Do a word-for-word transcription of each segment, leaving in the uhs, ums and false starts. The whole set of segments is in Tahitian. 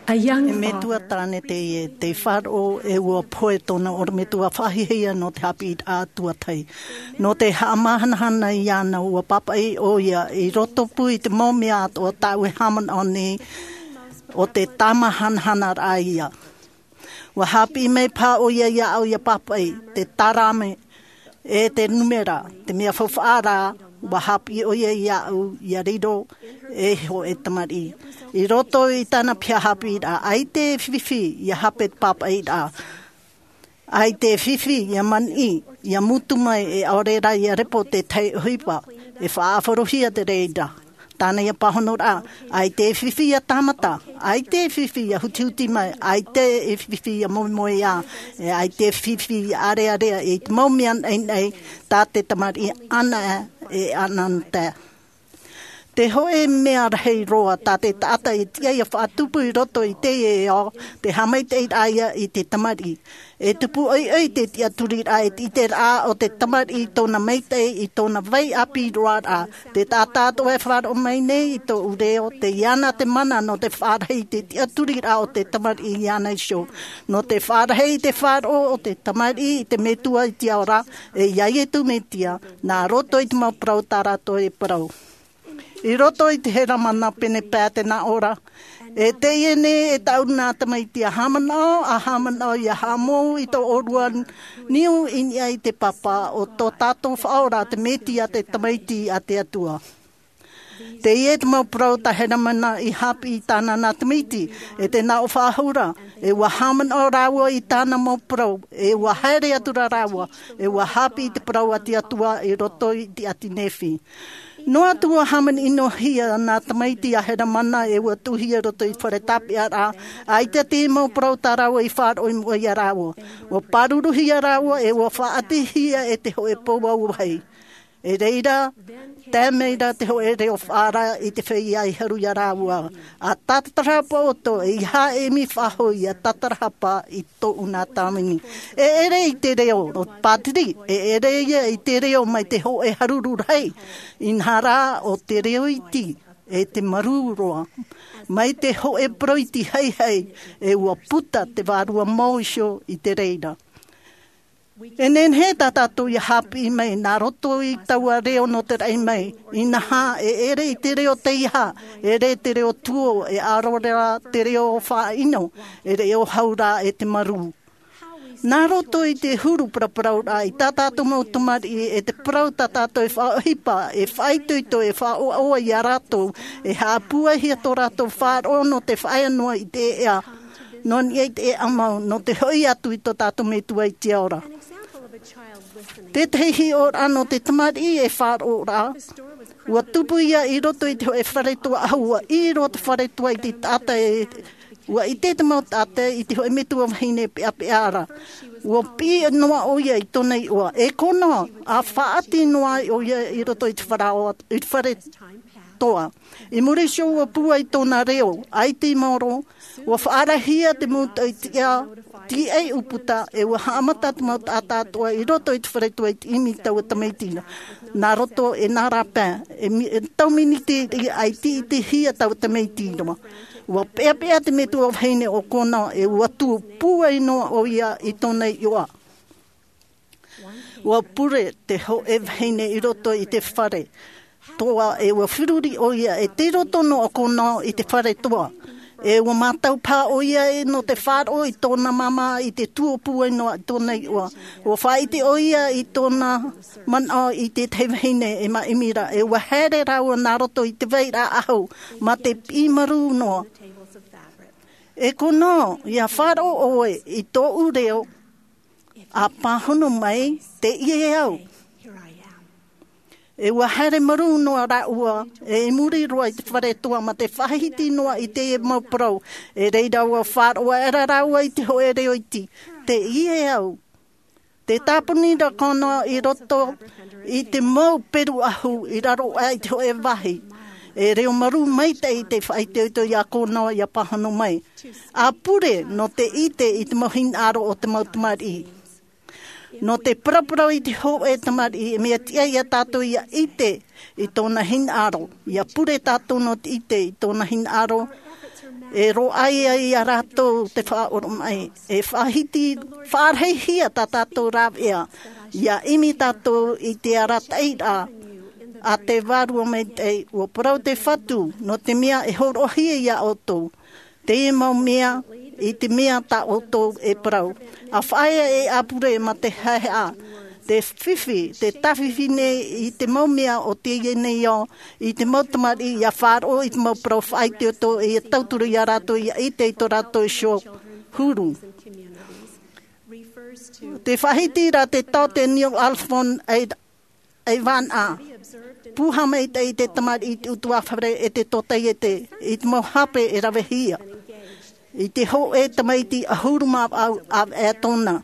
E metua tāne teie, tei faʻaroʻo e ua pohe tōna ʻorometua faʻahiahia nō te haʻapiʻiraʻa tuatahi. Nō te haʻamahanahana iāna, ua pāpaʻi ʻoia i roto pū i te mau mea atoʻa tāʻu e haʻamanaʻo nei, ʻo te tāmāhanahanaraʻa ia. Ua haʻapiʻi mai paha ʻoia iāʻu ʻia pāpaʻi te tarame e te numera, te mea faufaʻa rā. Ua haʻapiʻi ʻoia iāʻu ʻia riro ei hōʻē tamariʻi. I roto i tāna piha haʻapiʻiraʻa, ʻaita e fifi ʻia hape te pāpaʻiraʻa. ʻAita e fifi ʻia maniʻi, ʻia mutu mai, e ʻaore rā ʻia repo te tahi ʻohipa. E faʻaʻāfaruhia te reira. Tāna ia pāhonoraʻa, ʻaita e fifi ʻia tāmata, ʻaita e fifi ʻia hutihuti mai, ʻaita e fifi ʻia moemoeā, e ʻaita e fifi ʻia ʻarearea i te mau mea naʻinaʻi tā te tamariʻi ʻana e ʻanaʻanatae. Te hōʻē mea rahi roa tā te taʻata e tiʻa ʻia faʻatupu i roto i teie ao, te haʻamaitaʻiraʻa ia i te tamariʻi. E tupu ʻoiʻoi te tiʻaturiraʻa, e te ʻiteraʻa o te tamariʻi i tōna maitaʻi, i tōna vai ʻāpī roa rā. Te taʻata atoʻa e faʻaroʻo mai nei i tōʻu reo, tei iāna te mana nō te faʻarahi i te tiʻaturiraʻa o te tamariʻi iāna iho. Nō te faʻarahi i te faʻaroʻo o te tamariʻi i te Metua i te ao ra, e ia Iesu Mesia, nā roto i te mau parau tā rātou e parau. I roto i te Heramana pene pae te nā ʻō ra, e teie nei e tāʻu nā tamaiti, ʻa haʻamanaʻo, ʻa haʻamanaʻo ʻia haʻamou i tō ʻōrua niu i niʻa i te Pāpā, ʻo tō tātou Faʻaora te Mesia, te Tamaiti a te Atua. Teie te mau parau tā Heramana i haʻapiʻi i tāna nā tamaiti, e te nā ʻō faʻahou ra, e ua haʻamanaʻo rāua i tāna mau parau, e ua haere atu ra rāua, e ua haʻapiʻi i te parau a te Atua i roto i te ʻāti Nephi. Noa atu ua hāmani-ʻino-hia nā tamaiti a Heramana, e ua tuʻuhia i roto i te fare tāpeʻaraʻa, ʻaita te mau parau tā rāua i faʻaroʻo i mua ia rāua. Ua pāruruhia rāua, e ua faʻaʻitehia e te hōʻē pou auahi. E reira, tae mai ra te hōʻē reo faʻaara i te feiā i haru ia rāua. ʻA tātarahapa ʻoutou, ʻeiaha e ʻimi faʻahou ʻia tātarahapa i tōʻu nā tāvini. E ʻere i te reo o te pātiri, e ʻere ia i te reo mai te hōʻē haruru rahi, inaha rā ʻo te reo iti, e te marū roa, mai te hōʻē parau iti haihai, e ua puta te vārua mau iho i te reira. E nehenehe tā tātou ʻia haʻapiʻi mai nā roto i taua reo nō te raʻi mai, inaha e ʻere i te reo teiaha, e ʻere te reo tuō, e ʻaore rā te reo faʻaʻino, e reo hau rā e te marū. Nā roto i te huru paraparauraʻa i tā tātou mau tamariʻi, e te parau tā tātou e faʻaʻohipa, e faʻaitoito, e faʻaʻoaʻoa ia rātou, e haʻapūaihia tō rātou faʻaroʻo nō te faʻaea noa i te ʻēʻa, nō niʻa i te ʻēʻa mau, nō te hoʻi atu i tō tātou Metua i te ao ra. Tētahi hiʻoraʻa nō te tamariʻi e faʻaroʻo ra, ua tupu ia i roto i te hōʻē fare toa ʻahu, ua ʻī roa te fare toa i te taʻata e, ua ʻite te mau taʻata i te hōʻē metua vahine peʻapeʻa ra. Ua piʻi noa ʻoia i tōna iʻoa, e kona, ʻa faʻaʻati noa ʻoia i roto i te fare, i te fare toa. I muri iho ua pūai tōna reo, ʻaita i maoro, ua faʻaarahia te mau tauitiʻa, tīaʻi ʻūputa, e ua haʻamata te mau taʻata atoʻa i roto i te fare toa i te ʻimi i taua tamaiti ra. Nā roto e nā rāpae, e mi-, e tau miniti ʻaita i ʻitehia taua tamaiti ra. Ua peʻapeʻa te metua vahine o kona, e ua tuʻu pūai noa ʻoia i tōna iʻoa. Ua pure te hōʻē vahine i roto i te fare toa, e ua feruri ʻoia, e tei roto noa ʻo kona i te fare toa. E ua mātau paha ʻoia e nō te faʻaroʻo i tōna māmā i te tuʻu pūai noa i tōna iʻoa. Ua faʻaʻite ʻoia i tōna manaʻo i tētahi vahine e māʻimi ra, e ua haere rāua nā roto i te vairaʻa ʻahu, mā te piʻi marū noa. E kona, ʻia faʻaroʻo ʻoe i tōʻu reo, ʻa pāhono mai, tē ʻia au. E ua haere marū noa rāua, e i muri roa i te fare toa mā te faʻahiti noa i te mau parau, e reira ua faʻaroʻo aʻera rāua i te hōʻē reo iti, tē ʻia au. Tē tāpuni ra kona i roto i te mau peru ʻahu i raro aʻe i te hōʻē vāhi. E reo marū maitaʻi te faʻaitoito ia kona ʻia pāhono mai. ʻA pure nō te ʻite i te mau hinaʻaro o te mau tamariʻi. Nō te paraparau i te hōʻē tamariʻi, e mea tiʻa ia tātou ʻia ʻite i tōna hinaʻaro. ʻIa pure tātou nō te ʻite i tōna hinaʻaro. E roaʻa ai ia rātou te faʻaoromaʻi. E faʻahiti faʻarahihia tā tātou rāveʻa. Ia ʻimi tātou i te arataʻi a te vārua maitaʻi. Ua parau te Fatu nō te mea e hōroʻahia ia ʻoutou te mau mea i te mea tā ʻoutou e parau. A faʻaea e ʻapure ma te haehaʻa te fifi te tafifi nei i te mau mea o teie nei ao i te mau tamariʻi ia faʻaroʻo i te mau parau faʻaitoito ia tauturu ia rātou ia ʻite i tō rātou iho huru. Te faʻahiti ra te tao te Neo Alfon ai vana puha maitaʻi te tamariʻi i te utuafare e te totaiete i te mau hape e ravehia i te hoʻe tamaiti ʻahuru mā vau ʻāvaʻe tōna.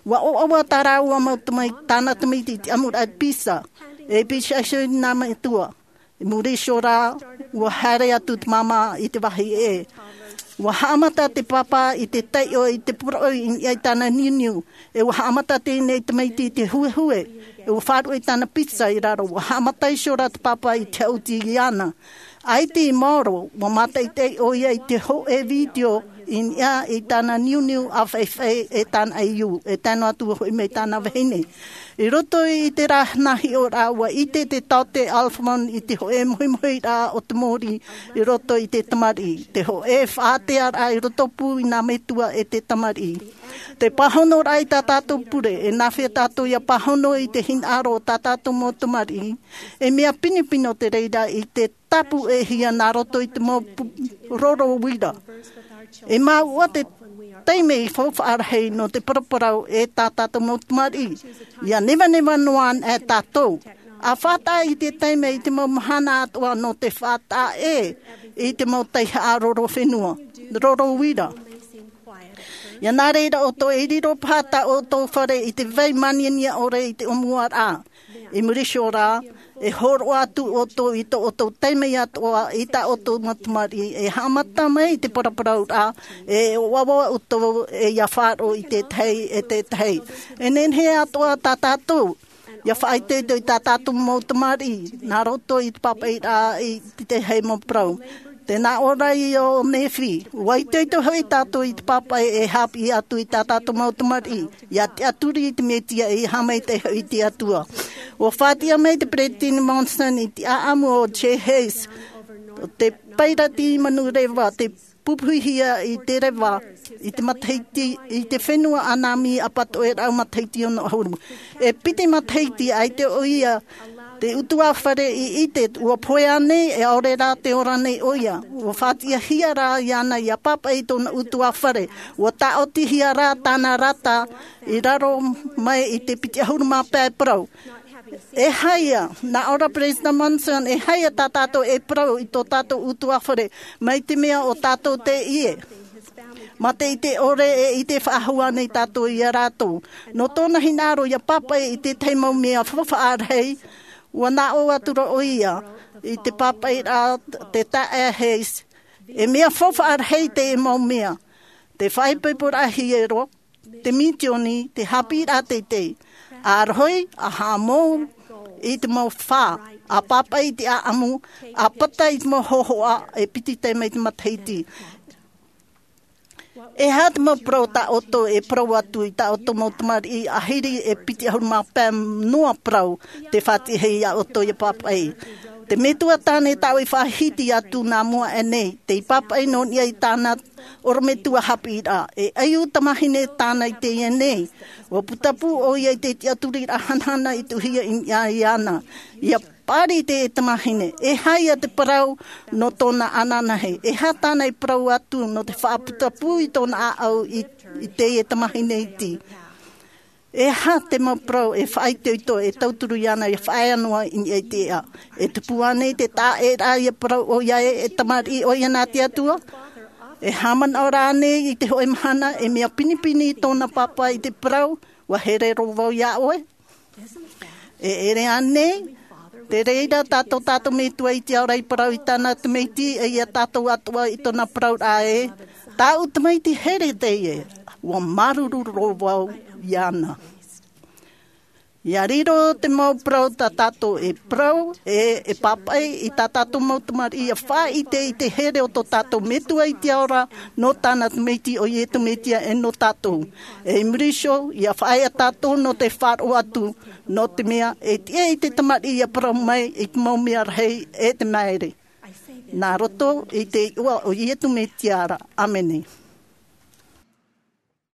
Ua ʻoaʻoa tā rāua mau tamaiti tāna tamaiti i te ʻamuraʻa pisa e pisa iho i nā metua. I muri iho rā ua haere atu te māmā i te vāhi ʻē. Ua haʻamata te pāpā i te taiʻo i te poroʻi i niʻa i tāna niuniu. E ua haʻamata tēnei tamaiti i te huehue e ua faʻaruʻe i tāna pisa i raro. Ua haʻamata iho rā te pāpā i te haʻuti iāna. ʻAita i maoro ua mātaʻitaʻi ʻoia i te hoʻe vitiō i niʻa i tāna niuniu a faʻifaʻi e tāna ʻaiū e tae noa atu hoʻi mai tāna vahine. I roto i te rā nā hiʻoraʻa ua ʻite te taote Alfon i te hoʻe mohimohiraʻa o te mōrī i roto i te tamariʻi te hoʻe faʻatearaʻa i roto pū i nā metua e te tamariʻi. Te pāhonoraʻa i tā tātou pure e nāfea tātou ia pāhono i te hinaʻaro o tā tātou mau tamariʻi. E mea pinepine te reira i te tāpū e hia nā roto i te mau roro uira. E māuʻa te taime i faufaʻa rahi nō te paraparau e tā tātou mau tamariʻi ia nevaneva noa ana e tātou a faʻataʻa i te taime i te mau mahana atoʻa nō te faʻataʻa ʻē i te mau taihaʻa roro fenua roro uira. Ia nā reira ʻoutou e riro paha tā ʻoutou fare i te vai maniania ʻore i te ʻōmuaraʻa. I muri iho rā e hōroʻa atu ʻoutou i tō ʻoutou taime atoʻa i tā ʻoutou mau tamariʻi e haʻamata mai i te paraparauraʻa e ʻoaʻoa ʻoutou e ia faʻaroʻo i tētahi e tētahi. E nehenehe atoʻa tā tātou ia faʻaitoito i tā tātou mau tamariʻi nā roto i te pāpaʻiraʻa i tētahi mau parau. Te nā ʻō ra ia o Nephi ua itoito hoʻi tātou i te pāpaʻi e haʻapiʻi atu i tā tātou mau tamariʻi ia tiʻaturi i te Mesia e ia haʻamaitaʻi hoʻi i te Atua. Ua faʻatiʻa mai te Peresideni Monson i te ʻaʻamu o Jay Hayes te pairati manureva te pupuhia i te reva i te matahiti i te fenua ʻanami ʻapatoʻe rau matahiti ono ʻahuru. E piti matahiti ʻaita ʻoia te utuafare i ʻite ua pohe nei e ʻaore rā te ora nei ʻoia. Ua faʻatiʻahia rā iāna ia pāpaʻi i tōna utuafare. Ua taʻotihia rā tāna rata i raro mai i te piti ʻahuru mā pae parau. E haia nā ʻō ra Peresideni Monson e haia tā tātou e parau i tō tātou utuafare mai te mea o tātou te ʻie. Mā te ʻite ʻore e ʻite faʻahou ana i tātou ia rātou nō tōna hinaʻaro ia pāpaʻi i tētahi mau mea faufaʻa rahi. Ua nā ʻō atu ra ʻoia i te pāpaʻiraʻa te taʻa Hayes e mea faufaʻa rahi te mau mea te faʻaipoiporaʻa hiero te mitioni te haʻapiʻiraʻa teitei a rohi a haʻamou i te mau fā a pāpaʻi i te ʻaʻamu a pata i te mau hōhoʻa e piti taime i te matahiti. E aha te mau parau tā ʻoutou e parau atu i tā ʻoutou mau tamariʻi ʻahiri e piti ʻahuru mā pae noa parau te faʻatiʻahia iā ʻoutou ia pāpaʻi? Te metua tāne tāʻu i faʻahiti atu nā mua aʻe nei tei pāpaʻi nō niʻa i tāna ʻorometua haʻapiʻiraʻa e ʻaiū tamahine tāna i teie nei. Ua putapū ʻoia i te tiʻaturiraʻa hanahana i tuʻuhia i niʻa iāna ia pāri i teie tamahine. E haia te parau nō tōna ananahi e aha tāna i parau atu nō te faʻaputapū i tōna ʻāʻau i teie tamahine iti? E aha te mau parau e faʻaitoito e tauturu iāna ia faʻaea noa i niʻa i te ʻeʻa? E tupu ānei te taʻaʻēraʻa ia parau ʻoia ē e tamariʻi ʻoia nā te Atua? E haʻamanaʻo rā ānei i te hoʻe mahana e mea pinepine i tōna pāpā i te parau ua here rō vau iā ʻoe? E ʻere ānei te reira tā tō tātou metua i te ao ra i parau i tāna tamaiti e ia tātou atoʻa i tōna parauraʻa ē tāʻu tamaiti here teie ua māuruuru rō vau iāna. Ia riro te mau parau tā tātou e parau e e pāpaʻi i tā tātou mau tamariʻi ia faʻaʻite i te here o tō tātou metua i te ao ra, nō tāna tamaiti o iesu mesia e nō tātou. E i muri iho ia faʻaea tātou nō te faʻaroʻo atu, nō te mea e tiʻa i te tamariʻi ia parau mai i te mau mea rahi e te maere. Nā roto i te iʻoa o iesu mesia ra, ʻāmene.